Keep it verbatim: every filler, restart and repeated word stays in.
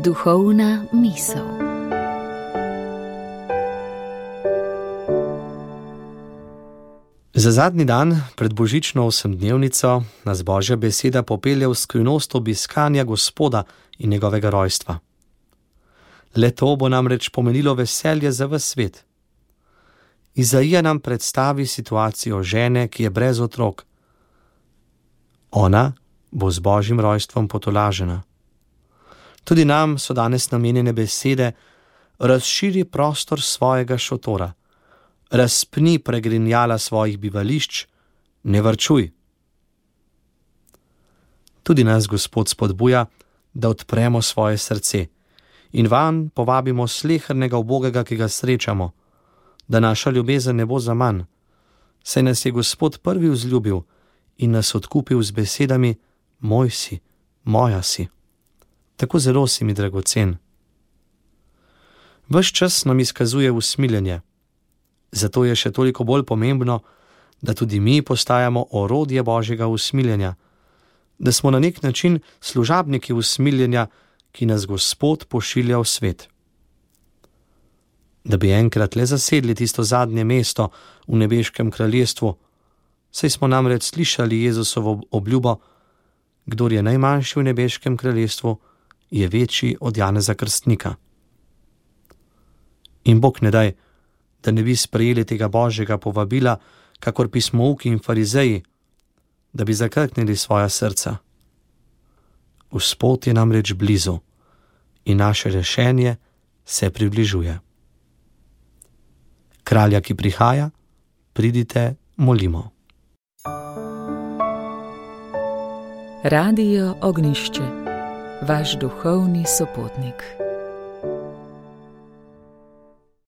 Duhovna misel. Za zadnji dan pred božično osemdnevnico nas Božja beseda popelje v skrivnost obiskanja Gospoda in njegovega rojstva. Le to bo namreč pomenilo veselje za ves svet. Izaija nam predstavi situacijo žene, ki je brez otrok. Ona bo z Božjim rojstvom potolažena. Tudi nam so danes namenjene besede: razširi prostor svojega šotora, razpni pregrinjala svojih bivališč, ne varčuj. Tudi nas Gospod spodbuja, da odpremo svoje srce in vanj povabimo slehernega ubogega, ki ga srečamo, da naša ljubezen ne bo zaman, saj nas je Gospod prvi vzljubil in nas odkupil z besedami: moj si, moja si. Tako zelo si mi dragocen. Ves čas nam izkazuje usmiljenje, zato je še toliko bolj pomembno, da tudi mi postajamo orodje Božjega usmiljenja, da smo na nek način služabniki usmiljenja, ki nas Gospod pošilja v svet. Da bi enkrat le zasedli tisto zadnje mesto v nebeškem kraljestvu, saj smo namreč slišali Jezusovo obljubo: kdor je najmanjši v nebeškem kraljestvu, je večji od Janeza Krstnika. In Bog ne daj, da ne bi sprejeli tega Božjega povabila, kakor pismouki in farizeji, da bi zakrknili svoja srca. Gospod je namreč blizu in naše rešenje se približuje. Kralja, ki prihaja, pridite, molimo. Radio Ognjišče, vaš duhovni sopotnik.